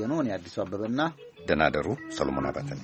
ኖን የአዲሱ አበበና። ደናደሩ ሰሎሞን አባተን።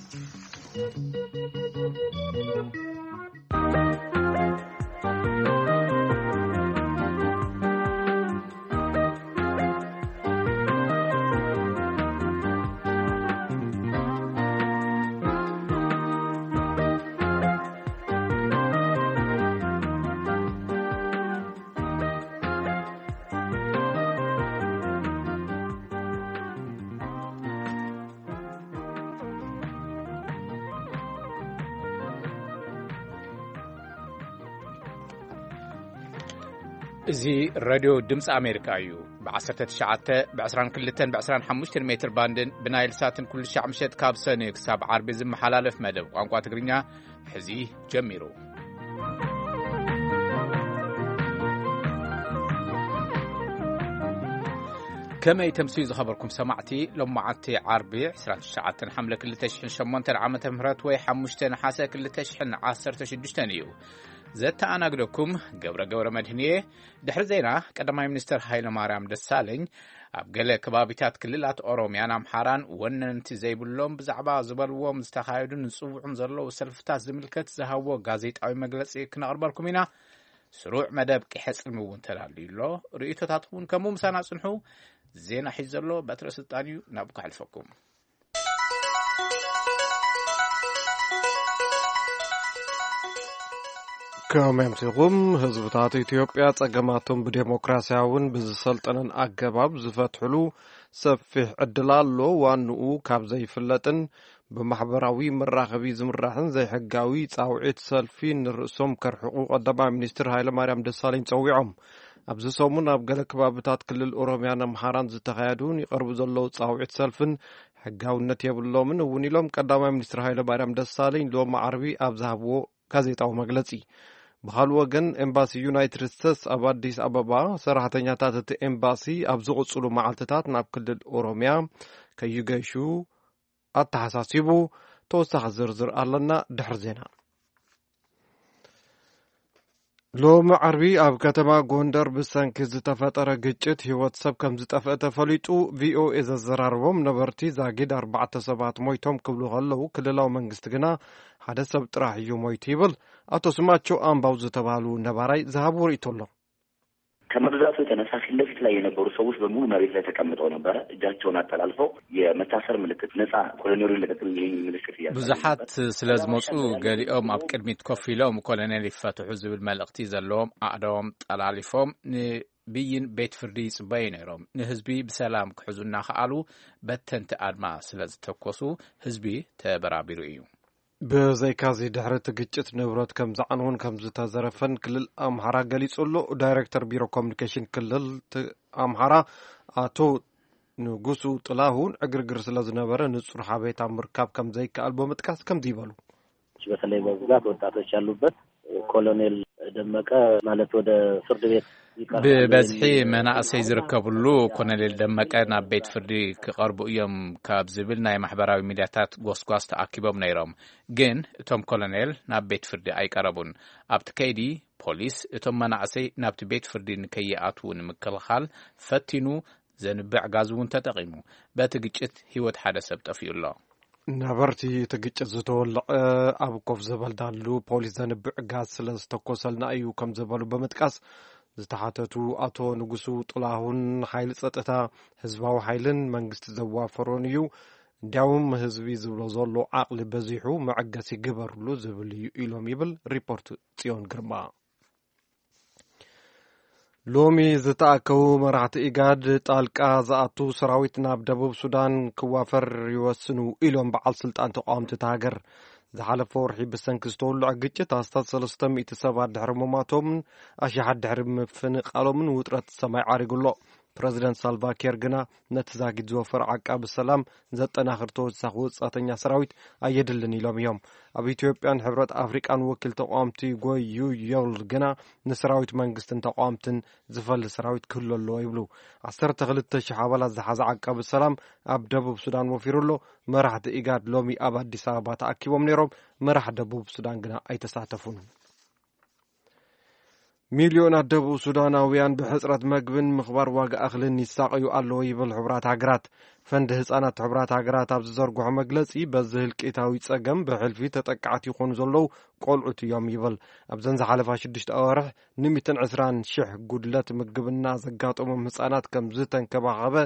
እዚ ሬድዮ ድምፂ ኣሜሪካ እዩ። ብ19፣ ብ22፣ ብ25 ሜትር ባንድን ብናይል ሳትን ኩሉ ሻዕ ምሸት ካብ ሰኒ ክሳብ ዓርቢ ዝመሓላለፍ መደብ ቋንቋ ትግርኛ ሕዚ ጀሚሩ። ከመይ ተምስዩ ዝኸበርኩም ሰማዕቲ፣ ሎማዓንቲ ዓርቢ 29 ሓምለ 2008 ዓመተ ምህረት ወይ 5 ነሓሰ 2016 እዩ። ዘተኣናግደኩም ገብረ ገብረ መድህን እየ። ድሕሪ ዜና፣ ቀዳማይ ሚኒስትር ሃይለ ማርያም ደሳለኝ ኣብ ገለ ከባቢታት ክልላት ኦሮምያን ኣምሓራን ወነንቲ ዘይብሎም ብዛዕባ ዝበልዎም ዝተኻየዱን ዝጽውዑን ዘለዉ ሰልፍታት ዝምልከት ዝሃብዎ ጋዜጣዊ መግለጺ ክነቕርበልኩም ኢና። ስሩዕ መደብ ቂሐ ጽልሚ እውን ተዳልዩ ኣሎ። ርእይቶታትኩም እውን ከምኡ ምሳና ጽንሑ። ዜና ሒዙ ዘሎ በትረ ስልጣን እዩ። ናብኡ ከሕልፈኩም። ከመይ ኣምሲኹም? ህዝብታት ኢትዮጵያ ጸገማቶም ብዴሞክራሲያውን ብዝሰልጠነን ኣገባብ ዝፈትሕሉ ሰፊሕ ዕድል ኣሎ። ዋንኡ ካብ ዘይፍለጥን ብማሕበራዊ መራኸቢ ዝምራሕን ዘይሕጋዊ ጻውዒት ሰልፊ ንርእሶም ከርሕቑ ቀዳማይ ሚኒስትር ሃይለማርያም ደሳለኝ ጸዊዖም። ኣብዚ ሰሙን ኣብ ገለ ከባብታት ክልል ኦሮምያን ኣምሓራን ዝተኻየዱን ይቐርቡ ዘለዉ ጻውዒት ሰልፍን ሕጋውነት የብሎምን እውን ኢሎም ቀዳማይ ሚኒስትር ሃይለማርያም ደሳለኝ ሎሚ ዓርቢ ኣብ ዝሃብዎ ጋዜጣዊ መግለጺ። ብኻልእ ወገን፣ ኤምባሲ ዩናይትድ ስቴትስ ኣብ ኣዲስ ኣበባ ሰራሕተኛታት እቲ ኤምባሲ ኣብ ዝቕጽሉ መዓልትታት ናብ ክልል ኦሮምያ ከይገሹ ኣተሓሳሲቡ። ተወሳኺ ዝርዝር ኣለና ድሕሪ ዜና። ሎሚ ዓርቢ ኣብ ከተማ ጎንደር ብሰንኪ ዝተፈጠረ ግጭት ህይወት ሰብ ከም ዝጠፍአ ተፈሊጡ። ቪኦኤ ዘዘራረቦም ነበርቲ ዛጊድ ኣርባዕተ ሰባት ሞይቶም ክብሉ ከለዉ፣ ክልላዊ መንግስቲ ግና ሓደ ሰብ ጥራሕ እዩ ሞይቱ ይብል። ኣቶ ስማቸው ኣምባው ዝተባህሉ ነባራይ ዝሃብዎ ርእይቶ ኣሎ። ከመብዛቱ የተነሳ ፊት ለፊት ላይ የነበሩ ሰዎች በሙሉ መሬት ላይ ተቀምጠው ነበረ። እጃቸውን አጠላልፈው የመታሰር ምልክት፣ ነፃ ኮሎኔሉ ይለቀቅልኝ የሚል ምልክት እያሳዩ ብዙሓት ነበር። ስለ ዝመፁ፣ ገሊኦም ኣብ ቅድሚት ኮፍ ኢሎም ኮሎኔል ይፈትሑ ዝብል መልእኽቲ ዘለዎም ኣእዳዎም ጠላሊፎም ንብይን ቤት ፍርዲ ይፅበዩ ነይሮም። ንህዝቢ ብሰላም ክሕዙ እናኸኣሉ በተንቲ ኣድማ ስለ ዝተኮሱ ህዝቢ ተበራቢሩ እዩ። ብዘይካዚ ድሕሪ እቲ ግጭት ንብረት ከም ዝዓነወን ከም ዝተዘረፈን ክልል ኣምሓራ ገሊጹ ኣሎ። ዳይሬክተር ቢሮ ኮሚኒኬሽን ክልል ት-፣ ኣምሓራ ኣቶ ንጉሱ ጥላሁን ዕግርግር ስለ ዝነበረ ንጹር ሓበሬታ ምርካብ ከም ዘይከኣል ብምጥቃስ ከምዚ ይበሉ። በተለይ በብዛት ወጣቶች ያሉበት ኮሎኔል ደመቀ ማለት ወደ ፍርድ ቤት ይቀርባሉ ብበዝሒ የሚል መናእሰይ ዝርከብሉ ኮሎኔል ደመቀ ናብ ቤት ፍርዲ ክቐርቡ እዮም ካብ ዝብል ናይ ማሕበራዊ ሚድያታት ጎስጓስ ተኣኪቦም ነይሮም። ግን እቶም ኮሎኔል ናብ ቤት ፍርዲ ኣይቀረቡን። ኣብቲ ከይዲ ፖሊስ እቶም መናእሰይ ናብቲ ቤት ፍርዲ ንከይኣትዉ ንምክልኻል ፈቲኑ፣ ዘንብዕ ጋዝ እውን ተጠቒሙ። በቲ ግጭት ህይወት ሓደ ሰብ ጠፊኡ ኣሎ። ነበርቲ እቲ ግጭት ዝተወለዐ ኣብ ኮፍ ዝበልናሉ ፖሊስ ዘንብዕ ጋዝ ስለ ዝተኮሰልና እዩ ከም ዝበሉ ብምጥቃስ፣ ዝተሓተቱ ኣቶ ንጉሱ ጥላሁን፣ ሓይሊ ጸጥታ፣ ህዝባዊ ሓይልን መንግስቲ ዘዋፈሮን እዩ። እንዲያውም ህዝቢ ዝብሎ ዘሎ ዓቕሊ በዚሑ መዐገሲ ግበርሉ ዝብል እዩ ኢሎም ይብል ሪፖርት ጽዮን ግርማ። ሎሚ ዝተኣከቡ መራሕቲ ኢጋድ ጣልቃ ዝኣቱ ሰራዊት ናብ ደቡብ ሱዳን ክዋፈር ይወስኑ ኢሎም በዓል ስልጣን ተቃወምቲ እታ ሃገር። ዝሓለፈ ወርሒ ብሰንኪ ዝተወልዐ ግጭት ኣስታት ሰለስተ ሚእቲ ሰባት ድሕሪ ምሟቶምን ኣሽሓት ድሕሪ ምፍንቃሎምን ውጥረት ሰማይ ዓሪጉ ኣሎ። ፕረዚደንት ሳልቫ ኪር ግና ነቲ ዛጊድ ዝወፈረ ዓቃቢ ሰላም ዘጠናኽር ተወሳኺ ወጻእተኛ ሰራዊት ኣየድልን ኢሎም እዮም። ኣብ ኢትዮጵያን ሕብረት ኣፍሪቃን ወኪል ተቃወምቲ ጎዩ ዮል ግና ንሰራዊት መንግስትን ተቃወምትን ዝፈሊ ሰራዊት ክህሉ ኣለዎ ይብሉ። 12,000 ኣባላት ዝሓዘ ዓቃቢ ሰላም ኣብ ደቡብ ሱዳን ወፊሩ ኣሎ። መራሕቲ ኢጋድ ሎሚ ኣብ ኣዲስ ኣበባ ተኣኪቦም ነይሮም። መራሕ ደቡብ ሱዳን ግና ኣይተሳተፉን። ሚልዮናት ደቡብ ሱዳናውያን ብሕጽረት መግብን ምኽባር ዋጋ እኽልን ይሳቐዩ ኣለዉ ይብል ሕቡራት ሃገራት። ፈንድ ህጻናት ሕቡራት ሃገራት ኣብ ዝዘርግሖ መግለጺ፣ በዚ ህልቂታዊ ጸገም ብሕልፊ ተጠቃዕቲ ይኾኑ ዘለዉ ቆልዑት እዮም ይብል። ኣብዘን ዝሓለፋ ሽዱሽተ ኣዋርሕ ን ሚእትን ዕስራን ሽሕ ጉድለት ምግብና ዘጋጠሞም ህጻናት ከም ዝተንከባኸበ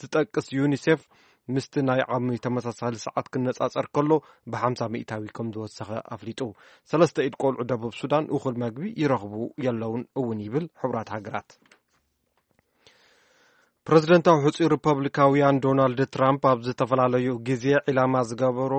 ዝጠቅስ ዩኒሴፍ፣ ምስቲ ናይ ዓሚ ተመሳሳሊ ሰዓት ክነጻጸር ከሎ ብሓምሳ ሚእታዊ ከም ዝወሰኸ ኣፍሊጡ። ሰለስተ ኢድ ቆልዑ ደቡብ ሱዳን እኹል መግቢ ይረኽቡ የለውን እውን ይብል ሕቡራት ሃገራት። ፕረዚደንታዊ ሕጹይ ሪፐብሊካውያን ዶናልድ ትራምፕ ኣብ ዝተፈላለዩ ግዜ ዒላማ ዝገበሩ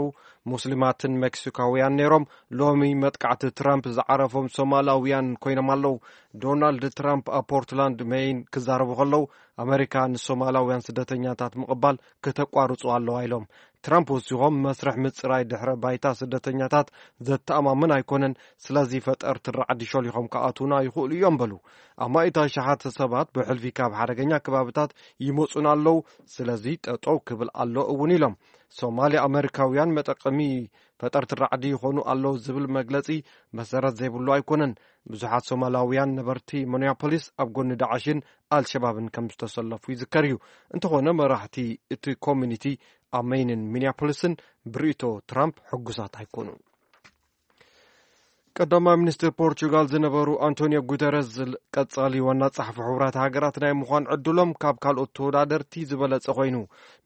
ሙስሊማትን ሜክሲካውያን ነይሮም። ሎሚ መጥቃዕቲ ትራምፕ ዝዓረፎም ሶማላውያን ኮይኖም ኣለዉ። ዶናልድ ትራምፕ ኣብ ፖርትላንድ ሜይን ክዛረቡ ከለዉ፣ ኣመሪካ ንሶማላውያን ስደተኛታት ምቕባል ከተቋርጹ ኣለዋ ኢሎም። ትራምፕ ወሲኾም፣ መስርሕ ምጽራይ ድሕረ ባይታ ስደተኛታት ዘተኣማምን ኣይኮነን፣ ስለዚ ፈጠርቲ ራዕዲ ሾሊኾም ክኣትዉና ይኽእሉ እዮም በሉ። ኣማኢት ኣሽሓት ሰባት ብሕልፊ ካብ ሓደገኛ ከባብታት ይመጹና ኣለዉ፣ ስለዚ ጠጠው ክብል ኣሎ እውን ኢሎም። ሶማሊ ኣመሪካውያን መጠቀሚ ፈጠርቲ ራዕዲ ይኾኑ ኣለዉ ዝብል መግለጺ መሰረት ዘይብሉ ኣይኮነን። ብዙሓት ሶማላውያን ነበርቲ ሚኒያፖሊስ ኣብ ጎኒ ዳዕሽን ኣልሸባብን ከም ዝተሰለፉ ይዝከር እዩ። እንተኾነ መራሕቲ እቲ ኮሚኒቲ ኣብ ሜይንን ሚኒያፖሊስን ብርእይቶ ትራምፕ ሕጉሳት ኣይኮኑን። ቀዳማይ ሚኒስትር ፖርቹጋል ዝነበሩ ኣንቶኒዮ ጉተረዝ ቀጻሊ ዋና ጸሓፊ ሕቡራት ሃገራት ናይ ምዃን ዕድሎም ካብ ካልኦት ተወዳደርቲ ዝበለጸ ኮይኑ፣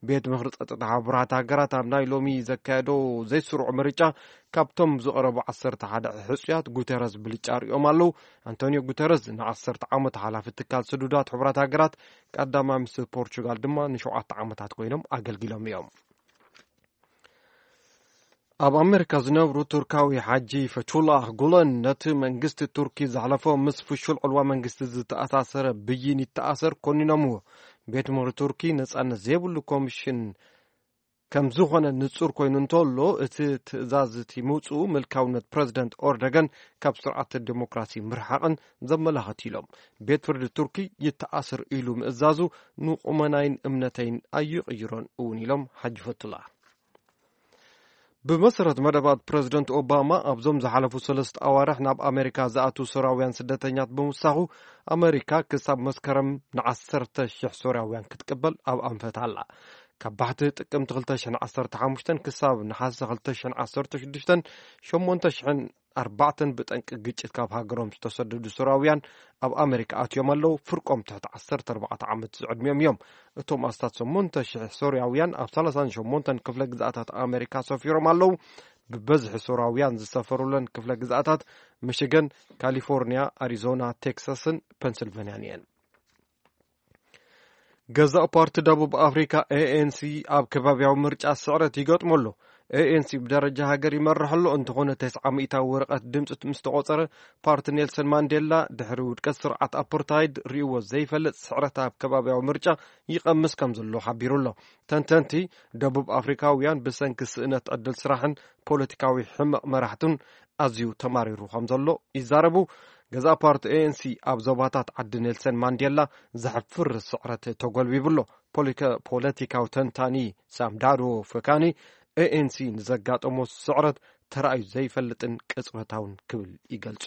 ቤት ምኽሪ ጸጥታ ሕቡራት ሃገራት ኣብ ናይ ሎሚ ዘካየዶ ዘይስሩዕ ምርጫ ካብቶም ዝቐረቡ ዓሰርተ ሓደ ሕጹያት ጉተረዝ ብልጫ ርእዮም ኣለዉ። ኣንቶኒዮ ጉተረዝ ንዓሰርተ ዓመት ሓላፊ ትካል ስዱዳት ሕቡራት ሃገራት፣ ቀዳማይ ሚኒስትር ፖርቹጋል ድማ ንሸውዓተ ዓመታት ኮይኖም ኣገልጊሎም እዮም። ኣብ ኣሜሪካ ዝነብሩ ቱርካዊ ሓጂ ፈቹላህ ጉለን ነቲ መንግስቲ ቱርኪ ዘሕለፎ ምስ ፍሹል ዕልዋ መንግስቲ ዝተኣሳሰረ ብይን ይተኣሰር ኮኒኖምዎ። ቤት ምኽሪ ቱርኪ ነጻነት ዘይብሉ ኮሚሽን ከም ዝኾነ ንጹር ኮይኑ እንተሎ፣ እቲ ትእዛዝ እቲ ምውጽኡ ምልካውነት ፕረዚደንት ኦርደገን ካብ ስርዓት ዲሞክራሲ ምርሓቕን ዘመላኽት ኢሎም። ቤት ፍርዲ ቱርኪ ይተኣስር ኢሉ ምእዛዙ ንቁመናይን እምነተይን ኣይቕይሮን እውን ኢሎም ሓጂ ፈቱላ። ብመሰረት መደባት ፕረዚደንት ኦባማ፣ ኣብዞም ዝሓለፉ ሰለስተ ኣዋርሕ ናብ ኣሜሪካ ዝኣትዉ ሶርያውያን ስደተኛት ብምውሳኹ፣ ኣሜሪካ ክሳብ መስከረም ንዓሰርተ ሽሕ ሶርያውያን ክትቅበል ኣብ ኣንፈት ኣላ። ካብ ባሕቲ ጥቅምቲ ክልተ ሽሕን ዓሰርተ ሓሙሽተን ክሳብ ነሓሰ ክልተ ሽሕን ዓሰርተ ሽዱሽተን ሸሞንተ ሽሕን ኣርባዕተን ብጠንቂ ግጭት ካብ ሃገሮም ዝተሰደዱ ሶርያውያን ኣብ ኣሜሪካ ኣትዮም ኣለዉ። ፍርቆም ትሕቲ ዓሰርተ ኣርባዕተ ዓመት ዝዕድሚኦም እዮም። እቶም ኣስታት ሸሞንተ ሽሕ ሶርያውያን ኣብ ሰላሳን ሸሞንተን ክፍለ ግዝኣታት ኣሜሪካ ሰፊሮም ኣለዉ። ብበዝሒ ሶርያውያን ዝሰፈሩለን ክፍለ ግዝኣታት ሚሽገን፣ ካሊፎርኒያ፣ ኣሪዞና፣ ቴክሳስን ፐንስልቨንያን እየን። ገዛእ ፓርቲ ደቡብ ኣፍሪካ ኤኤንሲ ኣብ ከባቢያዊ ምርጫ ስዕረት ይገጥሞ ኣሎ። ኤኤንሲ ብደረጃ ሃገር ይመርሕ ኣሎ፣ እንተኾነ ተስዓ ሚእታዊ ወረቐት ድምፂ ምስ ተቖፀረ፣ ፓርቲ ኔልሰን ማንዴላ ድሕሪ ውድቀት ስርዓት ኣፓርታይድ ርእይዎ ዘይፈልጥ ስዕረት ኣብ ከባቢያዊ ምርጫ ይቐምስ ከም ዘሎ ሓቢሩ ኣሎ። ተንተንቲ፣ ደቡብ ኣፍሪካውያን ብሰንኪ ስእነት ዕድል ስራሕን ፖለቲካዊ ሕመቕ መራሕቱን ኣዝዩ ተማሪሩ ከም ዘሎ ይዛረቡ። ገዛእ ፓርቲ ኤኤንሲ ኣብ ዞባታት ዓዲ ኔልሰን ማንዴላ ዘሕፍር ስዕረት ተጎልቢቡ ኣሎ። ፖሊከ-፣ ፖለቲካዊ ተንታኒ ሳምዳዶ ፈካኒ፣ ኤኤንሲ ንዘጋጠሞ ስዕረት ተራእዩ ዘይፈልጥን ቅጽበታውን ክብል ይገልጾ።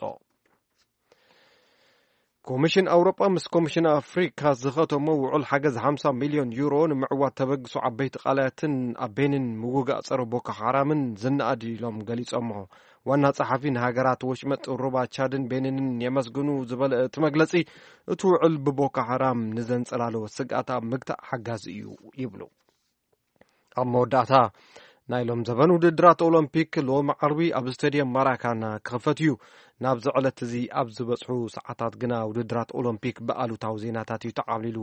ኮሚሽን ኣውሮጳ ምስ ኮሚሽን ኣፍሪካ ዝኸተሞ ውዑል ሓገዝ ሓምሳ ሚልዮን ዩሮ ንምዕዋት ተበግሶ ዓበይቲ ቃላያትን ኣብ ቤኒን ምውጋእ ጸረ ቦኮ ሓራምን ዝነኣድ ኢሎም ገሊጾሞ። ዋና ጸሓፊ ንሃገራት ወሽመጥ ሩባ ቻድን ቤኒንን የመስግኑ ዝበለ እቲ መግለጺ፣ እቲ ውዕል ብቦኮ ሓራም ንዘንጸላለወ ስግኣት ኣብ ምግታእ ሓጋዚ እዩ ይብሉ። ኣብ መወዳእታ፣ ናይ ሎም ዘበን ውድድራት ኦሎምፒክ ሎሚ ዓርቢ ኣብ ስቴድየም ማራካና ክኽፈት እዩ። ናብዚ ዕለት እዚ ኣብ ዝበጽሑ ሰዓታት ግና ውድድራት ኦሎምፒክ ብኣሉታዊ ዜናታት እዩ ተዓብሊሉ።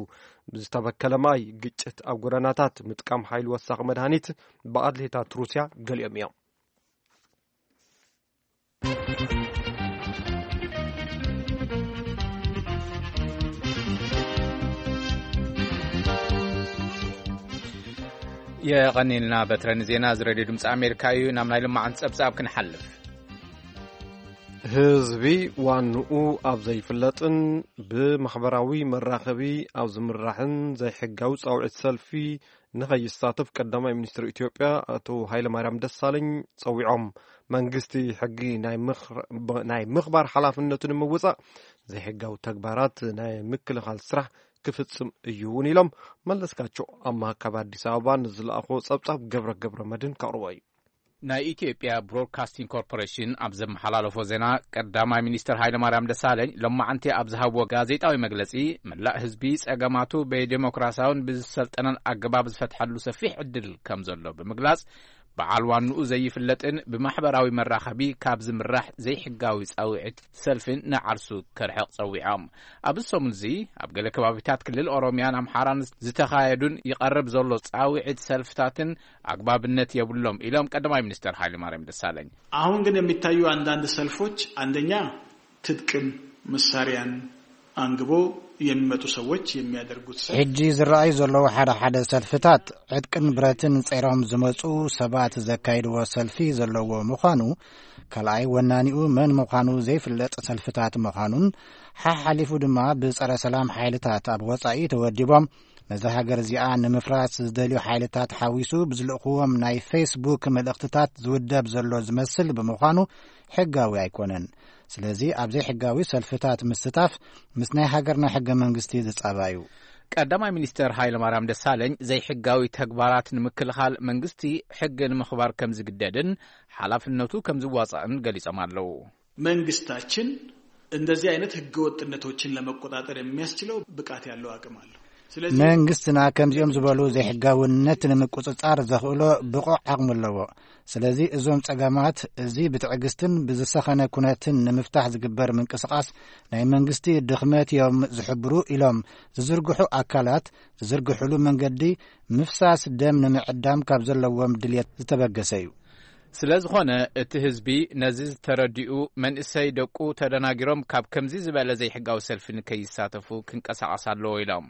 ብዝተበከለ ማይ ግጭት ኣብ ጎደናታት፣ ምጥቃም ሓይሊ ወሳኺ መድሃኒት ብኣትሌታት ሩስያ ገሊኦም እዮም። የቐኒልና በትረ ንዜና። እዚ ሬድዮ ድምፂ ኣሜሪካ እዩ። ናብ ናይ ልማዓን ፀብፃብ ክንሓልፍ። ህዝቢ ዋንኡ ኣብ ዘይፍለጥን ብማሕበራዊ መራኸቢ ኣብ ዝምራሕን ዘይሕጋዊ ጻውዒት ሰልፊ ንኸይሳተፍ ቀዳማይ ሚኒስትር ኢትዮጵያ ኣቶ ሃይለማርያም ደሳለኝ ጸዊዖም። መንግስቲ ሕጊ ናይ ምኽር-፣ ብ-፣ ናይ ምኽባር ሓላፍነቱ ንምውጻእ ዘይሕጋዊ ተግባራት ናይ ምክልኻል ስራሕ ክፍጽም እዩ እውን ኢሎም። መለስካቸው ኣማሃ ካብ ኣዲስ ኣበባ ንዝለኣኾ ጸብጻብ ገብረ ገብረ መድህን ከቕርቦ እዩ። ናይ ኢትዮጵያ ብሮድካስቲንግ ኮርፖሬሽን ኣብ ዘመሓላለፎ ዜና፣ ቀዳማይ ሚኒስትር ሃይለማርያም ደሳለኝ ሎማዓንቲ ኣብ ዝሃብዎ ጋዜጣዊ መግለጺ፣ መላእ ህዝቢ ጸገማቱ ብዴሞክራሲያውን ብዝሰልጠነን ኣገባብ ዝፈትሐሉ ሰፊሕ ዕድል ከም ዘሎ ብምግላጽ፣ በዓል ዋንኡ ዘይፍለጥን ብማሕበራዊ መራኸቢ ካብ ዝምራሕ ዘይሕጋዊ ጻውዒት ሰልፍን ንዓርሱ ከርሕቕ ጸዊዖም። ኣብዚ ሰሙን እዚ ኣብ ገለ ከባቢታት ክልል ኦሮሚያን ኣምሓራን ዝተኻየዱን ይቐርብ ዘሎ ጻውዒት ሰልፍታትን ኣግባብነት የብሎም ኢሎም ቀዳማይ ሚኒስትር ሃይለማርያም ደሳለኝ። አሁን ግን የሚታዩ አንዳንድ ሰልፎች አንደኛ ትጥቅም መሳሪያን አንግቦ የሚመጡ ሰዎች የሚያደርጉት ሰልፍ ሕጂ ዝረኣዩ ዘለዉ ሓደ ሓደ ሰልፍታት ዕጥቅን ብረትን ጸይሮም ዝመጹ ሰባት ዘካይድዎ ሰልፊ ዘለዎ ምዃኑ፣ ካልኣይ ወናኒኡ መን ምዃኑ ዘይፍለጥ ሰልፍታት ምዃኑን፣ ሓሓሊፉ ድማ ብጸረ ሰላም ሓይልታት ኣብ ወጻኢ ተወዲቦም ነዛ ሃገር እዚኣ ንምፍራስ ዝደልዩ ሓይልታት ሓዊሱ ብዝልእኽዎም ናይ ፌስቡክ መልእኽትታት ዝውደብ ዘሎ ዝመስል ብምዃኑ ሕጋዊ ኣይኮነን። ስለዚ ኣብ ዘይሕጋዊ ሰልፍታት ምስታፍ ምስ ናይ ሃገርና ሕገ መንግስቲ ዝጻባዩ። ቀዳማይ ሚኒስተር ሃይለማርያም ደሳለኝ ዘይሕጋዊ ተግባራት ንምክልኻል መንግስቲ ሕጊ ንምኽባር ከም ዝግደድን ሓላፍነቱ ከም ዝዋጻእን ገሊጾም ኣለዉ። መንግስታችን እንደዚህ አይነት ህገወጥነቶችን ለመቆጣጠር የሚያስችለው ብቃት ያለው አቅም አለው። ስለዚህ መንግስትና ከምዚኦም ዝበሉ ዘይሕጋውነት ንምቁጽጻር ዘኽእሎ ብቑዕ ዓቕሚ ኣለዎ። ስለዚ እዞም ጸገማት እዚ ብትዕግስትን ብዝሰኸነ ኩነትን ንምፍታሕ ዝግበር ምንቅስቓስ ናይ መንግስቲ ድኽመት እዮም ዝሕብሩ ኢሎም ዝዝርግሑ ኣካላት ዝዝርግሕሉ መንገዲ ምፍሳስ ደም ንምዕዳም ካብ ዘለዎም ድልየት ዝተበገሰ እዩ። ስለ ዝኾነ እቲ ህዝቢ ነዚ ዝተረዲኡ መንእሰይ ደቁ ተደናጊሮም ካብ ከምዚ ዝበለ ዘይሕጋዊ ሰልፊ ንከይሳተፉ ክንቀሳቐስ ኣለዎ ኢሎም።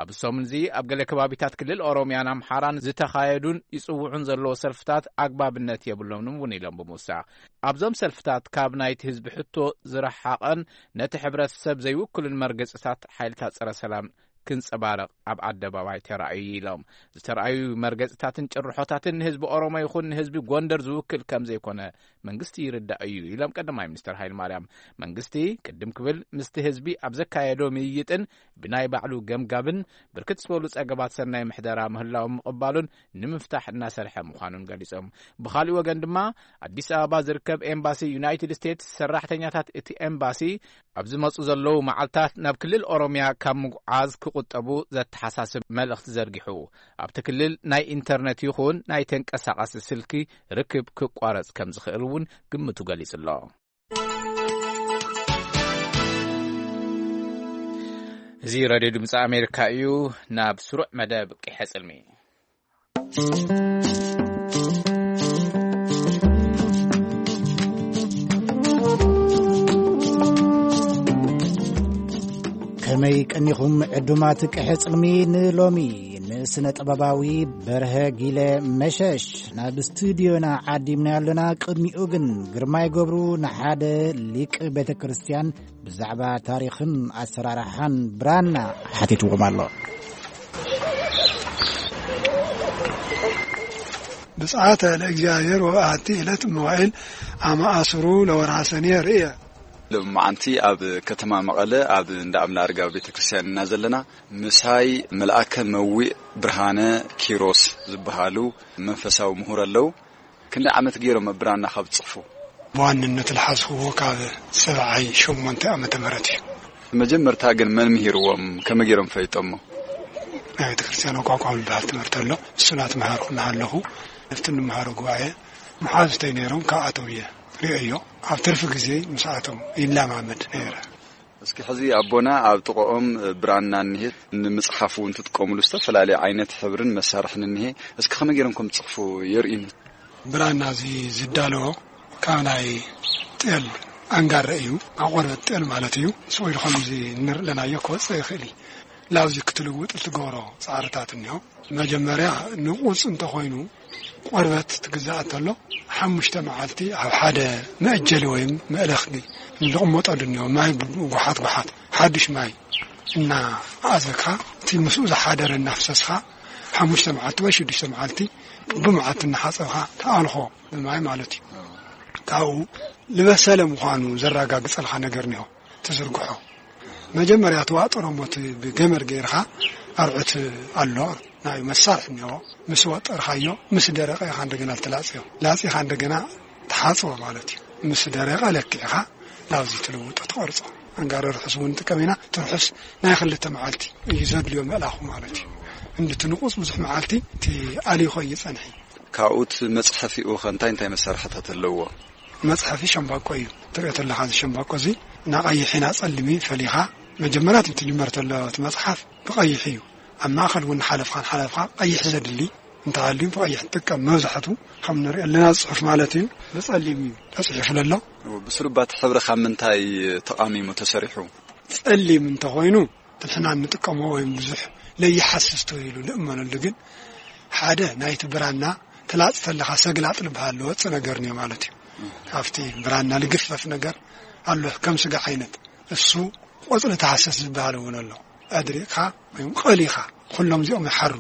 ኣብ ሰሙን እዚ ኣብ ገለ ከባቢታት ክልል ኦሮሚያን ኣምሓራን ዝተኻየዱን ይጽውዑን ዘለዎ ሰልፍታት ኣግባብነት የብሎምን እውን ኢሎም ብምውሳኽ ኣብዞም ሰልፍታት ካብ ናይቲ ህዝቢ ሕቶ ዝረሓቐን ነቲ ሕብረተሰብ ዘይውክልን መርገጽታት ሓይልታት ጸረ ሰላም ክንጸባረቕ ኣብ ኣደባባይ ተራእዩ ኢሎም። ዝተራእዩ መርገጽታትን ጭርሖታትን ንህዝቢ ኦሮሞ ይኹን ንህዝቢ ጎንደር ዝውክል ከም ዘይኮነ መንግስቲ ይርዳእ እዩ ኢሎም ቀዳማይ ሚኒስትር ሃይለማርያም። መንግስቲ ቅድም ክብል ምስቲ ህዝቢ ኣብ ዘካየዶ ምይይጥን ብናይ ባዕሉ ገምጋምን ብርክት ዝበሉ ጸገባት ሰናይ ምሕደራ ምህላዎም ምቕባሉን ንምፍታሕ እናሰርሐ ምዃኑን ገሊጾም። ብኻሊእ ወገን ድማ ኣዲስ ኣበባ ዝርከብ ኤምባሲ ዩናይትድ ስቴትስ ሰራሕተኛታት እቲ ኤምባሲ ኣብ ዝመጹ ዘለዉ መዓልታት ናብ ክልል ኦሮሚያ ካብ ምጉዓዝ ክቑጠቡ ዘተሓሳስብ መልእኽቲ ዘርጊሑ፣ ኣብቲ ክልል ናይ ኢንተርነት ይኹን ናይ ተንቀሳቓሲ ስልኪ ርክብ ክቋረጽ ከም ዝኽእል እውን ግምቱ ገሊጹ ኣሎ። እዚ ሬድዮ ድምፂ ኣሜሪካ እዩ። ናብ ስሩዕ መደብ ቂሐ ጽልሚ። ከመይ ቀኒኹም ዕዱማት ቅሐ ጽልሚ ንሎሚ ንስነ ጥበባዊ በርሀ ጊለ መሸሽ ናብ ስቱዲዮና ዓዲምና ኣለና። ቅድሚኡ ግን ግርማይ ገብሩ ንሓደ ሊቅ ቤተ ክርስቲያን ብዛዕባ ታሪኽን ኣሰራርሓን ብራና ሓቲትዎም ኣሎ። ብጽዓተ ለእግዚኣብሔር ወበኣቲ ዕለት መዋዕል ኣመ ኣስሩ ለወርሃ ሰኔ ርእየ። ሎማዓንቲ ኣብ ከተማ መቐለ ኣብ እንዳ ኣምላርጋ ቤተ ክርስቲያን ኢና ዘለና። ምሳይ መልኣከ መዊእ ብርሃነ ኪሮስ ዝበሃሉ መንፈሳዊ ምሁር ኣለዉ። ክንደይ ዓመት ገይሮም ኣብ ብራና ካብ ዝጽሕፉ? ብዋንነት ዝሓዝኽዎ ካብ ሰብዓይ ሸሞንተ ዓመተ ምህረት እዩ። መጀመርታ ግን መን ምሂርዎም? ከመይ ገይሮም ፈሊጦሞ? ናይ ቤተ ክርስቲያን ኣቋቋም ዝበሃል ትምህርቲ ኣሎ። እሱ እናተምሃርኩ እናሃለኹ ኣብቲ እንመሃሮ ጉባኤ መሓዙተይ ነይሮም፣ ካብኣቶም እየ ርእዮ። ኣብ ትርፊ ግዜ ምስኣቶም ይለማመድ ነይረ። እስኪ ሕዚ ኣቦና ኣብ ጥቕኦም ብራና እኒሄ፣ ንምጽሓፍ እውን ትጥቀሙሉ ዝተፈላለየ ዓይነት ሕብርን መሳርሕን እኒሄ። እስኪ ከመይ ገይሮም ከም ትጽሕፉ የርእዩኒ። ብራና እዚ ዝዳለዎ ካብ ናይ ጤል ኣንጋረ እዩ። ኣብ ቆርበት ጤል ማለት እዩ። ስቕ ኢሉ ከምዚ እንርኢ ኣለናዮ ክወፅእ ይኽእል እዩ። ላብዚ ክትልውጥ እትገብሮ ፃዕርታት እኒሆ። መጀመርያ ንቑፅ እንተኾይኑ ቆርበት ትግዛእ እንተሎ ሓሙሽተ መዓልቲ ኣብ ሓደ መእጀሊ ወይም መእለኽሊ እንቕመጠሉ እኒሆ። ማይ ጉሓት ጉሓት ሓዱሽ ማይ እናኣዘካ እቲ ምስኡ ዝሓደረ እናፍሰስካ ሓሙሽተ መዓልቲ ወይ ሽዱሽተ መዓልቲ ብመዓልቲ እናሓፀብካ ተኣልኾ ብማይ ማለት እዩ። ካብኡ ዝበሰለ ምዃኑ ዘረጋግጸልካ ነገር እኒሆ ትዝርግሖ። መጀመርያ ትዋጥሮ እሞ እቲ ብገመድ ገይርካ ኣርዑት ኣሎ ናይ መሳርሒ እኒሆ። ምስ ወጠርካዮ ምስ ደረቐ ኢኻ እንደገና ትላጽዮ። ላጺኻ እንደገና ትሓጽቦ ማለት እዩ። ምስ ደረቐ ለኪዕኻ ናብዚ ትልውጦ ትቐርጾ። ኣንጋሪ ርሑስ እውን ንጥቀም ኢና። እቲ ርሑስ ናይ ክልተ መዓልቲ እዩ ዘድልዮ ምእላኹ ማለት እዩ። እንድቲ ንቑጽ ብዙሕ መዓልቲ እቲ ኣሊኾ እዩ ጸንሒ። ካብኡ እቲ መጽሐፊኡ ኸ እንታይ እንታይ መሳርሕታት ኣለዎ? መጽሐፊ ሸምባቆ እዩ። ትሪኦ ተለኻ እዚ ሸምባቆ እዚ ናቐይሕ ኢና ጸልሚ ፈሊኻ መጀመርያ እቲ ትጅመር ተሎ እቲ መጽሓፍ ብቐይሕ እዩ። ኣብ ማእኸል እውን ሓለፍኻን ሓለፍኻ ቀይሕ ዘድሊ እንተሃልዩ ብቐይሕ ንጥቀም። መብዛሕቱ ከም ንሪኦ ኣለና ጽሑፍ ማለት እዩ ብጸሊም እዩ ተጽሒፉ ዘሎ። ብስሩባ እቲ ሕብሪ ካብ ምንታይ ተቓሚሙ ተሰሪሑ? ጸሊም እንተኾይኑ ንሕና እንጥቀሞ ወይም ብዙሕ ለይሓስስ ተባሂሉ ንእመነሉ፣ ግን ሓደ ናይቲ ብራና ትላጽ ተለኻ ሰግላጥ ዝበሃል ዝወጽእ ነገር እኒኦ ማለት እዩ። ካብቲ ብራና ልግፈፍ ነገር ኣሎ ከም ስጋ ዓይነት እሱ ቆጽሊ ተሃሰስ ዝበሃል እውን ኣሎ። ኣድሪቕካ ወይም ቀሊኻ ኩሎም እዚኦም ይሓሩ።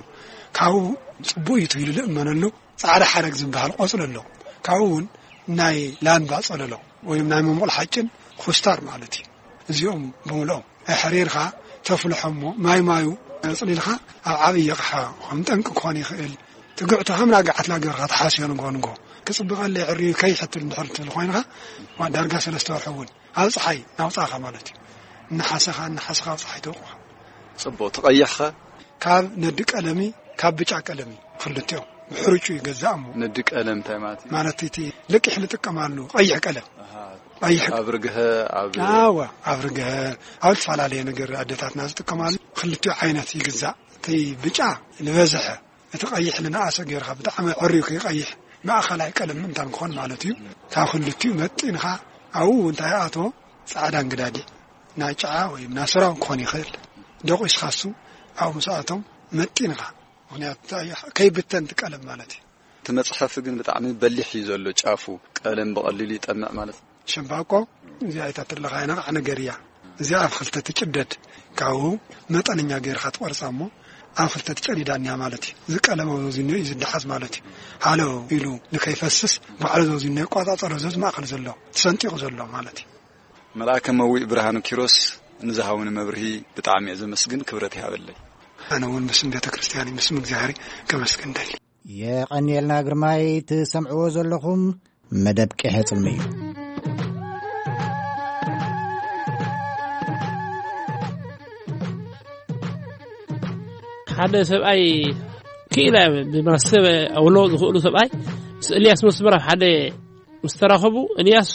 ካብኡ ጽቡቕ እዩ ተባሂሉ ዝእመነሉ ጻዕዳ ሓረግ ዝበሃል ቆጽሊ ኣሎ። ካብኡ እውን ናይ ላምባ ጸለሎ ወይም ናይ መሞቕል ሓጭን ኩስታር ማለት እዩ። እዚኦም ብምልኦም ኣሕሪርካ ተፍልሖ እሞ ማይ ማዩ ኣጽሊልካ ኣብ ዓብዪ ኣቕሓ ከም ጠንቂ ክኾን ይኽእል። ትግዕቶ ከም ናጋዓት ላገርካ ተሓስዮ ንጎ ንጎ ክጽብቐለይ ዕርዩ ከይሕትል እንድሕር ትብል ኮይንካ ዋ ዳርጋ ሰለስተ ወርሒ እውን ኣብ ጸሓይ ናውጻኻ ማለት እዩ። እናሓሰኻ እናሓሰኻ ኣብ ጸሓይ ተውቅዖ። ጽቡቕ ትቐይሕኸ? ካብ ነዲ ቀለሚ ካብ ብጫ ቀለሚ ክልቲኦም ብሕርጩ ይገዛእ እሞ ነዲ ቀለም እንታይ ማለት እዩ? ማለት እቲ ልቅሕ ንጥቀማሉ ቀይሕ ቀለም። ኣሃ። ቀይሕ ኣብ ርግሀ ኣብ ኣዋ ኣብ ርግሀ ኣብ ዝተፈላለየ ነገር ኣደታትና ዝጥቀማሉ ክልቲኡ ዓይነት ይግዛእ። እቲ ብጫ ዝበዝሐ እቲ ቀይሕ ንነኣሰ ጌርካ ብጣዕሚ ዕርዩ ከይቀይሕ ማእኸላይ ቀለም ምእንታን ክኾን ማለት እዩ። ካብ ክልቲኡ መጢንካ ኣብኡ እንታይ ኣቶ ጻዕዳ እንግዳዲዕ ናይ ጨዓ ወይ ናይ ስራው ክኾን ይኽእል። ደቂስካ እሱ ኣብኡ ምስ ኣቶም መጢንካ ምኽንያቱ እንታይ እዩ? ከይብተን እቲ ቀለም ማለት እዩ። እቲ መጽሓፊ ግን ብጣዕሚ በሊሕ እዩ ዘሎ ጫፉ። ቀለም ብቐሊሉ ይጠምዕ ማለት እዩ። ሸምባቆ እዚኣ ኣይታ ትለኻ ነቓዕ ነገር እያ። እዚኣ ኣብ ክልተ ትጭደድ። ካብኡ መጠነኛ ገይርካ ትቆርጻ እሞ ኣብ ክልተ ትጨዲዳ እኒያ ማለት እዩ። እዚ ቀለም ኣብ ዘውዚኖ እዩ ዝደሓዝ ማለት እዩ። ሃሎ ኢሉ ንከይፈስስ ባዕሉ ዘውዚኖ ይቆጻጸሮ፣ እዚ ኣብዚ ማእከል ዘሎ ተሰንጢቑ ዘሎ ማለት እዩ። መልኣከ መዊእ ብርሃኑ ኪሮስ ንዝሃቡኒ መብርሂ ብጣዕሚ እየ ዘመስግን፣ ክብረት ይሃበለይ። ኣነ እውን ብስም ቤተ ክርስቲያን ምስም እግዚኣብሔር ከመስግን ደሊ። የቐንየልና ግርማይ። ትሰምዕዎ ዘለኹም መደብ ቄሐ ጽልሚ እዩ። ሓደ ሰብኣይ ክኢላ ብማሰብ ኣውሎ ዝኽእሉ ሰብኣይ ምስ ኤልያስ መስመር ኣብ ሓደ ምስ ተራኸቡ፣ ኤልያስ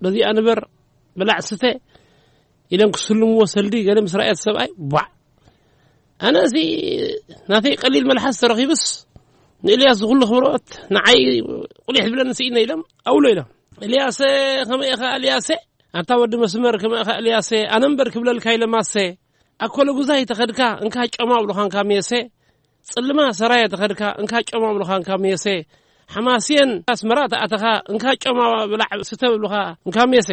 በዚኣ ንበር ብላዕ ስተ ኢሎም ክስልምዎ ሰልዲ ገለ ምስ ረኣየት ሰብኣይ ቧዕ። ኣነ እዚ ናተይ ቀሊል መልሓስ ተረኺቡስ ንኤልያስ ዝኹሉ ክብረኦት ንዓይ ቁሊሕ ዝብለኒ ስኢነ ኢሎም ኣውሎ ኢሎም። ኤልያሰ ከመይ ኢኻ ኤልያሰ? ኣታ ወዲ መስመር ከመይ ኢኻ ኤልያሰ? ኣነ እምበር ክብለልካ ኢለ ማሰ። ኣኮለ ጉዛይ ተኸድካ እንካ ጮማ ብሉኻንካ ሜሰ። ጽልማ ሰራየ ተኸድካ እንካ ጮማ ብሉኻንካ ሜሰ። ሓማስየን ኣስመራ ተኣተኻ እንካ ጮማ ብላዕ ስተ ብሉኻ እንካ ሜሰ።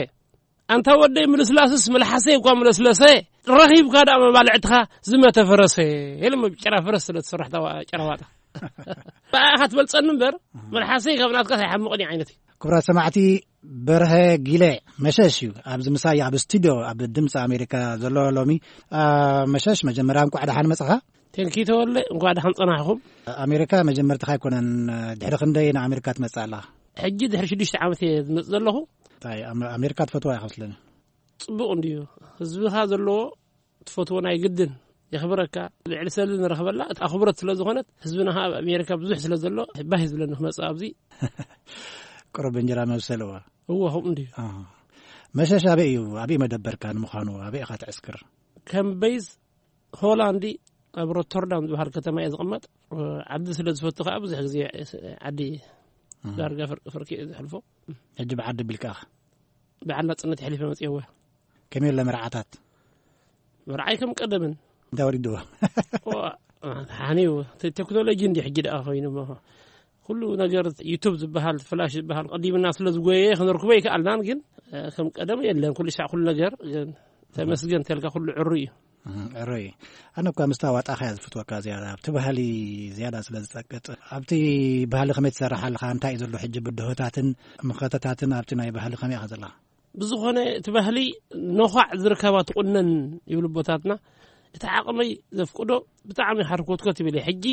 ኣንታ ወደይ ምልስላስስ መልሓሰይ እኳ ምለስለሰ፣ ረኺብካ ደኣ መባልዕትኻ ዝመተ ፈረሰ። ኢሎም ኣብ ጭራ ፈረስ ስለ ትስራሕ ታዋ-፣ ጭራ ዋጣ። ብኣኻ ትበልጸኒ እምበር፣ መልሓሰይ ካብ ናትካስ ኣይሓምቕን እዩ ዓይነት እዩ። ክቡራት ሰማዕቲ፣ በርሀ ጊለ መሸሽ እዩ ኣብዚ ምሳይ ኣብ ስቱድዮ ኣብ ድምፂ ኣሜሪካ ዘሎ ሎሚ። አ፣ መሸሽ መጀመርያ እንኳዕ ደሓን መፅኻ። ቴንኪ ተወለ፣ እንኳዕ ደሓን ጸናሕኹም። ኣሜሪካ መጀመርትኻ ኣይኮነን፣ ድሕሪ ክንደይ ንኣሜሪካ ትመፅእ ኣለኻ? ሕጂ ድሕሪ ሽዱሽተ ዓመት እየ ዝመጽእ ዘለኹ። እንታይ ኣመ-፣ ኣሜሪካ ትፈትዋ ኢኻ መስለኒ። ጽቡቕ እንድዩ። ህዝብኻ ዘለዎ ትፈትዎ ናይ ግድን የኽብረካ። ልዕሊ ሰሊ ንረኽበላ ኣኽብሮት ስለ ዝኾነት ህዝብና ኸኣ ኣብ ኣሜሪካ ብዙሕ ስለ ዘሎ ባህ ዝብለኒ ክመጽእ ኣብዚ። ቁሩብ እንጀራ መብሰልዋ። እወ፣ ከምኡ እንድዩ። ኣሃ። መሸሽ ኣበይ እዩ? ኣበይ መደበርካ ንምዃኑ? ኣበይ ኢኻ ትዕስክር? ከም በይዝ ሆላንዲ ኣብ ሮተርዳም ዝበሃል ከተማ እየ ዝቕመጥ። ዓዲ ስለ ዝፈቱ ከኣ ብዙሕ ግዜ ዓዲ እህ። ዳርጋ ፍር-፣ ፍርቂ እየ ዘሕልፎ። ሕጂ ብዓዲ ቢልካ ኢኻ? ብዓል ናጽነት የሕሊፈ መጽየወ። ከመይ ኣሎ መርዓታት? መርዓይ ከም ቀደምን። እንታይ ወሪድዎ? ዋ፣ ሓኒው፣ ተ-፣ ቴክኖሎጂ እንዲ ሕጂ ደኣ ኮይኑ እሞ። ኩሉ ነገር ዩቱብ ዝበሃል፣ ፍላሽ ዝበሃል ቀዲምና ስለ ዝጎየ ክንርክቦ ይከኣልናን፣ ግን፣ እ፣ ከም ቀደም የለን። ኩሉ ሳዕ ኩሉ ነገር፣ ግን ተመስገን ተልካ ኩሉ ዕሩ እዩ። እም፣ ዕሩይ። ኣነ እኳ ምስታ ዋጣኻ እያ ዝፍትወካ ዝያዳ። ኣብቲ ባህሊ ዝያዳ ስለ ዝጸቅጥ፣ ኣብቲ ባህሊ ከመይ ትሰርሕ ኣለኻ? እንታይ እዩ ዘሎ ሕጂ ብድሆታትን ምኸተታትን ኣብቲ ናይ ባህሊ ከመይ ኢኻ ዘለኻ? ብዝኾነ እቲ ባህሊ ነዃዕ ዝርከባ ትቑነን ይብሉ ኣቦታትና። እቲ ዓቕመይ ዘፍቅዶ ብጣዕሚ ሓርኮትኮት ይብል እየ። ሕጂ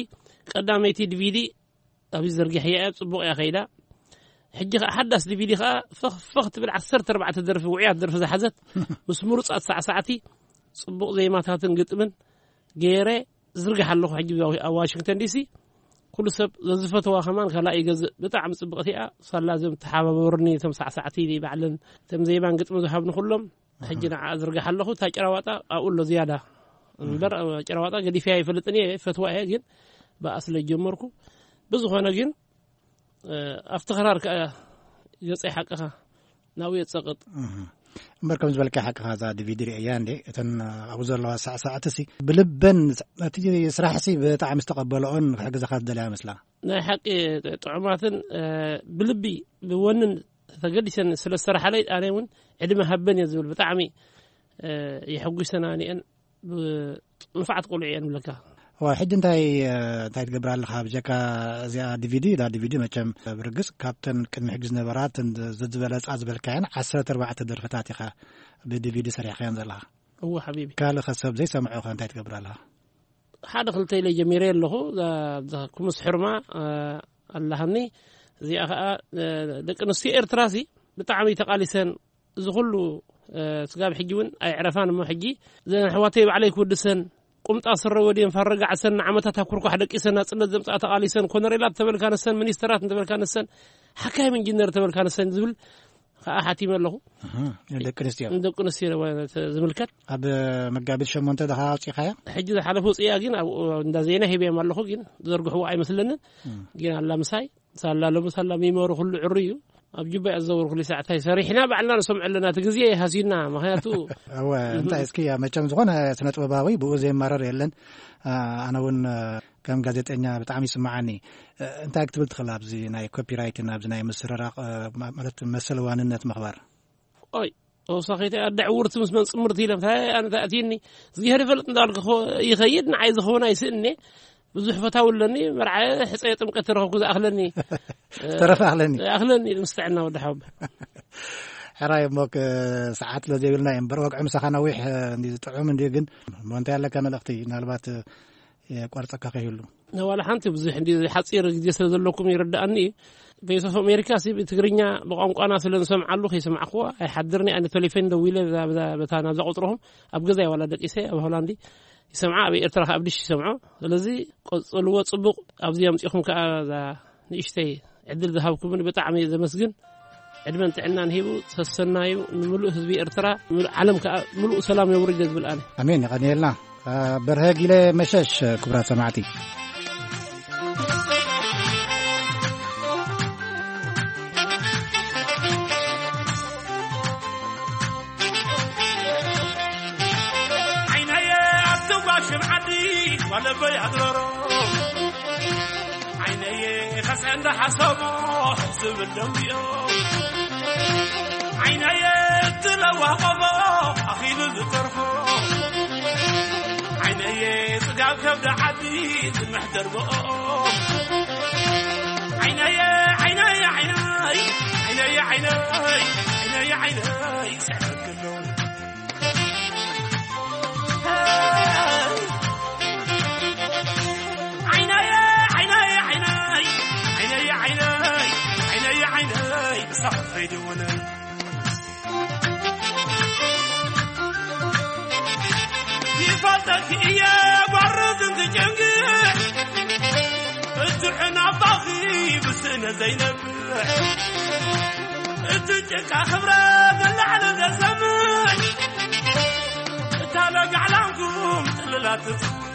ቀዳመይቲ ዲቪዲ ኣብዚ ዘርጊሐያ እያ፣ ጽቡቕ እያ ከይዳ። ሕጂ ኸኣ ሓዳስ ዲቪዲ ኸኣ ፈኽ ፈኽ ትብል ዓሰርተ ኣርባዕተ ደርፊ፣ ውዑያት ደርፊ ዝሓዘት ምስ ምሩጻት ሳዕሳዕቲ ጽቡቕ ዜማታትን ግጥምን ገይረ ዝርግሕ ኣለኹ። ሕጂ ኣብ ዋሽንግተን ዲሲ ኩሉ ሰብ ዘዝፈተዋ ከማን ካልኣ ይገዝእ። ብጣዕሚ ጽብቕቲ እያ። ሳላ እዞም ተሓባበሩኒ፣ እቶም ሳዕሳዕቲ ባዕለን፣ እቶም ዜማን ግጥሚ ዝሃብኒ ኩሎም፣ ሕጂ ንዓ ዝርግሕ ኣለኹ። እታ ጭራዋጣ ኣብኡ ኣሎ ዝያዳ። እምበር፣ ጭራዋጣ ገዲፈያ ይፈልጥን እየ፣ ፈትዋ እየ፣ ግን ብኣ ስለ ጀመርኩ። ብዝኾነ ግን፣ እ፣ ኣብቲ ክራር ከኣ ገጸይ ሓቅኻ ናብኡ የጸቕጥ። እህ። እምበር ከም ዝበልካ ሓቅኻ እዛ ዲቪዲ ርእያ እንዴ፣ እተን ኣብኡ ዘለዋ ሳዕሳዕቲ ሲ ብልበን እቲ ስራሕ ሲ ብጣዕሚ ዝተቐበለኦን ክሕግዘኻ ዝደለያ መስላ። ናይ ሓቂ ጥዑማትን፣ እ፣ ብልቢ ብወንን ተገዲሰን ስለ ዝሰርሓለይ ኣነ እውን ዕድመ ሃበን እየ ዝብል። ብጣዕሚ፣ እ፣ የሐጉሰና እኒአን። ብ-፣ ንፉዓት ቆልዑ እየን ብለካ። ዋ፣ ሕጂ እንታይ፣ እ፣ እንታይ ትገብር ኣለኻ? ብጀካ እዚኣ ዲቪዲ፣ እዛ ዲቪዲ መቸም ብርግጽ ካብተን ቅድሚ ሕጂ ዝነበራ እተን ዘዝበለጻ ዝበልካየን ዓሰርተ ኣርባዕተ ደርፍታት ኢኻ ብዲቪዲ ሰሪሕካየን ዘለኻ። እወ ሓቢቢ። ካልእ ከ ሰብ ዘይሰምዖ ከ እንታይ ትገብር ኣለኻ? ሓደ ክልተ ኢለ ጀሚረ ኣለኹ። እዛ፣ እዛ ኩምስ ሕርማ፣ እ፣ ኣላሃኒ። እዚኣ ኸኣ፣ እ፣ ደቂ ኣንስትዮ ኤርትራ ሲ ብጣዕሚ ተቓሊሰን እዚ ኩሉ፣ እ፣ ስጋብ ሕጂ እውን ኣይዕረፋን እሞ፣ ሕጂ እዘን ኣሕዋተይ ባዕለይ ክውድሰን፣ ቁምጣ ስረ ወዲየን ፋረጋ ዓሰን ንዓመታት ኣብ ኩርኳሕ ደቂሰን ናጽነት ዘምጽኣ ተቓሊሰን፣ ኮነሬላት ተበልካ ንሰን፣ ሚኒስተራት እንተበልካ ንሰን፣ ሓካይም ኢንጂነር ተበልካ ንሰን ዝብል ከኣ ሓቲመ ኣለኹ። እህ፣ ንደቂ ኣንስትዮ። ንደቂ ኣንስትዮ ዝምልከት። ኣብ መጋቢት ሸሞንተ ድኻ ኣውጺእኻያ? ሕጂ ዝሓለፈ ውጽእያ ግን ኣብ እንዳ ዜና ሂበዮም ኣለኹ፣ ግን ዘርግሕዎ ኣይመስለንን። እም። ግን ኣላ ምሳይ ሳላ ሎሚ ሳላ ሚሞሪ ኩሉ ዕሩ እዩ። ኣብ ጁባ እያ ዝዘውር ኩሉ ሰዓት። እንታይ ሰሪሕና ባዕልና ንሰምዖ ኣለና። እቲ ግዜ ሃሲና፣ ምኽንያቱ እወ፣ እንታይ እስኪ፣ መቸም ዝኾነ ስነ ጥበባዊ ብኡ ዘይማረር የለን። አ፣ ኣነ እውን፣ አ፣ ከም ጋዜጠኛ ብጣዕሚ ይስምዓኒ። አ፣ እንታይ ክትብል ትኽእል ኣብዚ ናይ ኮፒራይትን ኣብዚ ናይ ምስርራቕ፣ አ፣ ማ-፣ ማለት መሰል ዋንነት ምኽባር? ኦይ፣ ተወሳኺት ኣደ ዕውርቲ ምስ መን ጽምርቲ ኢለ፣ እንታይ ኣነ ተኣትይኒ? እግዚኣብሔር ይፈልጥ እንዳልኩ ይኸይድ፣ ንዓይ ዝኸውን ኣይስእኔ። ብዙሕ ፈታዊ ኣለኒ፣ መርዓ ሕፀየ ጥምቀት ተረኸብኩ ዝኣኽለኒ። ዝተረፈ ኣኽለኒ። ኣኽለኒ፣ ምስ ጥዕና ወዲ ሓወብ። ሕራይ እሞ፣ ክ-፣ ሰዓት ስለ ዘይብልና እዩ እምበር፣ ወግዒ ምሳኻ ነዊሕ፣ እ፣ እንዲ ዝጥዑም እንዲ፣ ግን እሞ እንታይ ኣለካ መልእኽቲ? ምናልባት፣ እ፣ የቋርጸካ ከይህሉ። ዋላ ሓንቲ ብዙሕ እንዲ ሓጺር ግዜ ስለ ዘለኩም ይርድኣኒ እዩ። ቮይስ ኦፍ ኣሜሪካ ሲ ብትግርኛ ብቋንቋና ስለ ንሰምዓሉ ከይሰማዕክዎ ኣይሓድርኒ። ኣነ ቴሌፎን ደዊለ በዛ፣ በዛ፣ በታ ናብዛ ቁጽርኹም ኣብ ገዛይ ዋላ ደቂሰ ኣብ ሆላንዲ ይሰምዓ፣ ኣብ ኤርትራ ከኣ ኣብ ድሽ ይሰምዖ። ስለዚ ቀጽልዎ ጽቡቕ። ኣብዚ ኣምጺኹም ከኣ እዛ ንእሽተይ ዕድል ዝሃብኩምን ብጣዕሚ እየ ዘመስግን። ዕድመን ጥዕናን ሂቡ ሰሰናዩ ንምሉእ ህዝቢ ኤርትራ፣ ንምሉእ ዓለም ከኣ ምሉእ ሰላም የውርድ እየ ዝብል ኣነ። ኣሜን፣ የቐንየልና። በርሀ ጊለ መሸሽ፣ ክቡራት ሰማዕቲ። ዓይነየ ኣብቲ ጓሽም ዓዲ ዋለበይ ኣድረሮ። ዓይነየ ኸስዐ እንዳሓሰቦ ዝብል ደንቢዮ። ዓይነየ እትለዋኸቦ ኣኺሉ ዝተርፎ። ዓይነየ ጽጋብ ከብዲ ዓዲ ዝምሕደር ብኦ። ዓይነየ፣ ዓይነየ፣ ዓይነይ፣ ዓይነየ፣ ዓይነይ፣ ዓይነየ፣ ዓይነይ፣ ስሕር ክለው። ዓይነየ፣ ዓይነየ፣ ዓይነይ፣ ዓይነየ፣ ዓይነይ፣ ዓይነየ፣ ዓይነይ፣ ብሳዕ ፈይድውነይ። ይፈልጠኪ እየ ጓርዝ እንትጨንግሕ፣ እትሕን ኣባኺ ብስእነ ዘይነብሕ። እቲ ጭቃ ክብረ ንላዕሊ ዘሰምዕ፣ እታ ለጋዕላንኩም ጥልላት ትጽውዕ።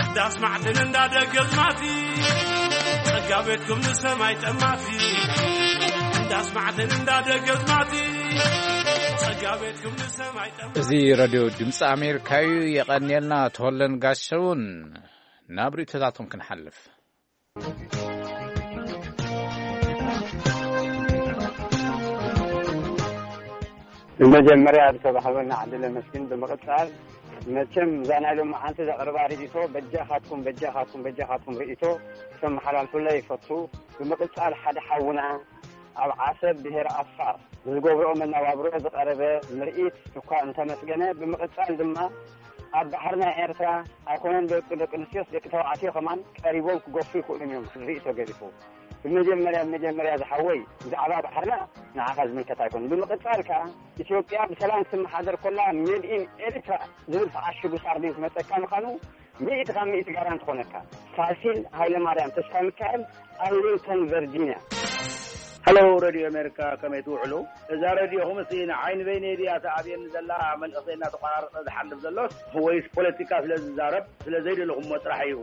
እንዳስማዕትን እንዳደገዝማቲ፣ ጸጋ ቤትኩም ንሰማይ ጠማቲ። እንዳስማዕትን እንዳደገዝማቲ፣ ጸጋ ቤትኩም ንሰማይ ጠማቲ። እዚ ሬድዮ ድምፂ ኣሜሪካ እዩ። የቐንየልና ተወለን ጋሸውን። ናብ ርእይቶታቶም ክንሓልፍ። ብመጀመርያ ዝተባህበና ዕድል ኣመስግን። ብምቕጻል መቸም እዛ ናይ ሎማዓንቲ ዘቕርባ ርእይቶ በጃኻትኩም፣ በጃኻትኩም፣ በጃኻትኩም ርእይቶ ክተመሓላልፉለይ ይፈቱ። ብምቕጻል ሓደ ሓውና ኣብ ዓሰብ ብሄር ኣፋር ብዝገብርኦ መነባብሮ ዝቐረበ ምርኢት እኳ እንተመስገነ፣ ብምቕጻል ድማ ኣብ ባሕሪ ናይ ኤርትራ ኣይኮነን ደቂ ደቂ ኣንስትዮስ ደቂ ተባዕትዮ ከማን ቀሪቦም ክገፉ ይኽእሉን እዮም። ርእይቶ ገዲፉ ብመጀመርያ ብመጀመርያ ዝሓወይ ብዛዕባ ባሕርና ንዓኻ ዝምልከት ኣይኮነን። ብምቕጻል ከኣ ኢትዮጵያ ብሰላም ክትመሓደር ኮላ ሜድ ኢን ኤሪትራ ዝብል ተዓሽጉ ሳርዲን ክመጸካ ምዃኑ ሚእቲ ካብ ሚእቲ ጋራንቲ ኮነካ። ፋሲል ሃይለማርያም ተስፋ ሚካኤል፣ ኣርሊንግተን ቨርጂኒያ። ሃሎ፣ ሬድዮ ኣሜሪካ፣ ከመይ ትውዕሉ? እዛ ሬድዮኹም እስቲ ንዓይ ንበይነይ ድያ ተኣብየኒ ዘላ? መንእሰይ እናተቋራረጸ ዝሓልፍ ዘሎስ ወይስ ፖለቲካ ስለ ዝዛረብ ስለ ዘይደለኹምዎ ጥራሕ እዩ?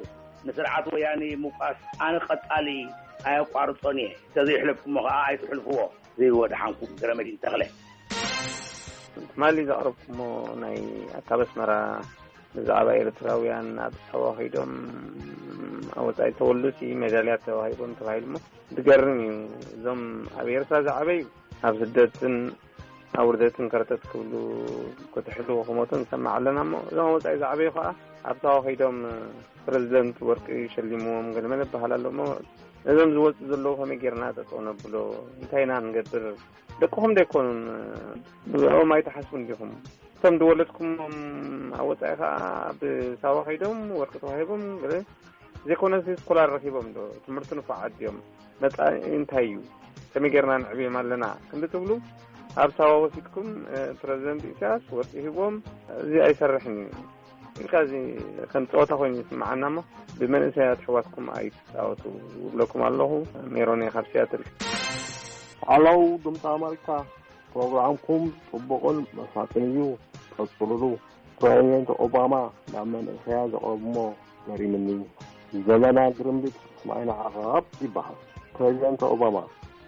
ንስርዓት ወያኒ ምውቃስ ኣነ ቀጻሊ ኣየቋርጾን እየ። ተዘይሕለፍኩሞ ኸኣ ኣይትሕልፍዎ። ዘይወድሓንኩም ገረመዲን ተኽለ። ትማሊ ዘቕረብኩሞ ናይ ኣካብ ኣስመራ ብዛዕባ ኤርትራውያን ኣብ ሳዋ ከይዶም ኣብ ወጻኢ ተወልዱሲ ሜዳልያ ተዋሂቦም ተባሂሉ እሞ ዝገርም እዩ። እዞም ኣብ ኤርትራ ዝዓበዩ ኣብ ስደትን ኣብ ውርደትን ከርተት ክብሉ ክትሕልዎ ክሞቱ ንሰማዕ ኣለና እሞ እዞም ኣብ ወጻኢ ዝዓበዩ ከዓ ኣብ ሳዋ ከይዶም ፕረዚደንት ወርቂ ሸሊምዎም ገለመለ ይበሃል ኣሎ እሞ ነዞም ዝወፁ ዘለዉ ከመይ ጌርና ጠጠው ነብሎ? እንታይ ኢና ንገብር? ደቅኹም ዶ ኣይኮኑን? ብኦም ኣይትሓስቡን ዲኹም? እቶም ዝወለድኩሞም ኣብ ወፃኢ ከዓ ብሳዋ ከይዶም ወርቂ ተዋሂቦም ገለ ዘይኮነስ ስኮላር ረኪቦም ዶ ትምህርቲ ንፉዓት ድዮም? መፃኢ እንታይ እዩ? ከመይ ጌርና ንዕብዮም ኣለና ክንዲ ትብሉ ኣብ ሳዋ ወሲድኩም ፕረዚደንት ኢሳያስ ወርቂ ሂቦም እዚ ኣይሰርሕን እዩ ኢልካ እዚ ከም ፀወታ ኮይኑ ይስምዓና እሞ ብመንእሰያት ኣሕዋትኩም ኣይትፃወቱ እብለኩም ኣለኹ። ሜሮን እየ ካብ ሲያትል። ሃለው ድምፂ ኣመሪካ፣ ፕሮግራምኩም ጽቡቕን መሳጥን እዩ፣ ቀጽሉሉ። ፕረዚደንት ኦባማ ናብ መንእሰያት ዘቕረብሞ ገሪምኒ። ዘመና ግርምቢጥ ምስማይ ንዓቐብ ይበሃል። ፕረዚደንት ኦባማ፣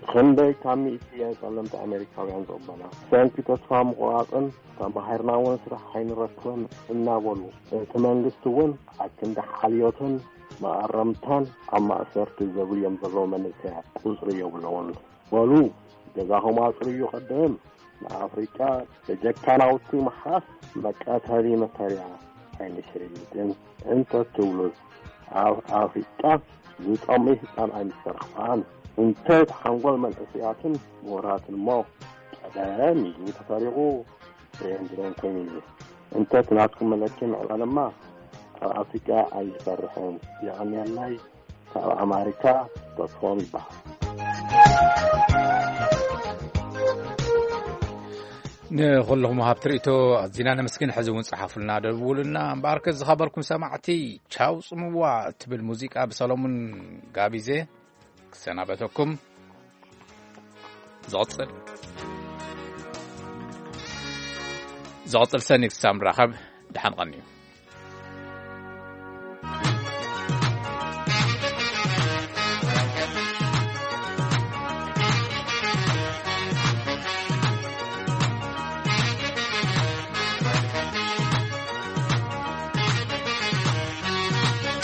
ክንደይ ካብ ሚእቲ እየን ጸለምቲ ኣሜሪካውያን ዝቕበላ? ብሰንኪ ተስፋ ምቑራጽን ተማሂርና እውን ስራሕ ኣይንረክብን እናበሉ፣ እቲ መንግስቲ እውን ኣብ ክንዲ ሓልዮትን መኣረምታን ኣብ ማእሰርቲ ዘብልዮም ዘለዉ መንእሰያት ቁጽሪ የብሎምን። በሉ ገዛኹም ኣጽርዩ ቅድም ንኣፍሪቃ በጀካ ናውቲ ምሓዝ መቀተሊ መሳርያ ኣይንሸይጥን እንተትብሉስ ኣብ ኣፍሪቃ ዝጠምይ ህጻን ኣይምሰርሕን። እንተ እቲ ሓንጎል መንእሰያትን ምሁራትን እሞ ቀደም ኢሉ ተሰሪቑ ብሬን ብሬን ኮይኑ እዩ። እንተ እቲ ናትኩም መለኪ ምዕባለማ ኣብ ኣፍሪቃ ኣይሰርሕን። የቐንየለይ። ካብ ኣማሪካ ተስፎም ይበሃል። ንኹልኹም ሃብቲ ርእቶ ኣዚና ነመስግን። ሕዚ እውን ጸሓፉልና፣ ደውሉልና። እምበኣርከ ዝኸበርኩም ሰማዕቲ፣ ቻው ጽምዋ እትብል ሙዚቃ ብሰሎሙን ጋቢዜ ክሰናበተኩም። ዝቕጽል ዝቕጽል ሰኒ ክሳብ ንራኸብ ደሓን ቐንዩ።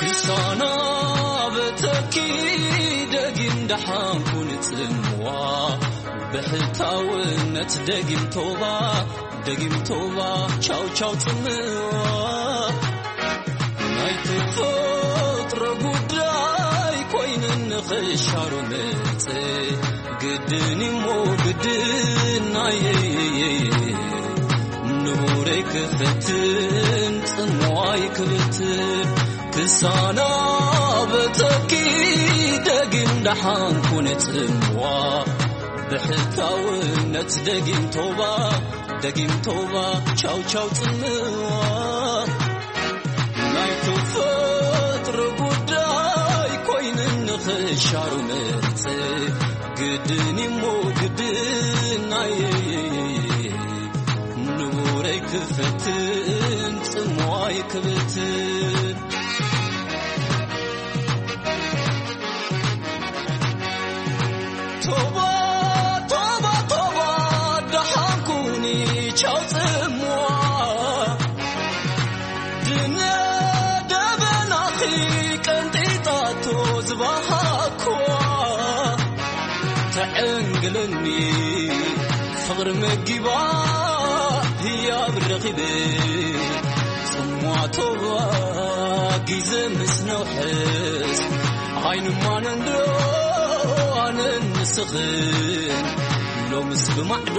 ክሳና በተኪ ደጊም ደሓንኩ ንጽምዋ ብሕታውነት ደጊም ቶባ ደጊም ቶባ ቻው ቻው ጽምዋ ናይ ተፈጥሮ ጉዳይ ኮይንን ንኽሻሩ ምጽ ግድን እሞ ግድን ናይ ንቡረይ ክፈትን ጽምዋይ ክብትን ክሳና በተኪ ደጊም ደሓንኩ ንጽምዋ ብሕታውነት ደጊም ቶባ ደጊም ቶባ ቻው ቻው ጽምዋ ናይ ተፈጥሮ ጉዳይ ኮይንን ንኽሻሩ ምርጽ ግድን እሞ ግድን ናይ ንቡረይ ክፈትን ጽምዋይ ክብትን ቶባ ቶባ ቶባ ደሓንኩኒ ቻው ጽምዋ ድነ ደበናኺ ቀንጢጣቶ ዝባሃኳ ተዕንግለኒ ፍቕሪ መጊባ ህያብ ረኺበ ጽሟቶዋ ግዜ ምስ ነውሕስ ኣይንማነንዶ ኣነን ንስኽን ሎምስ ብማዕዶ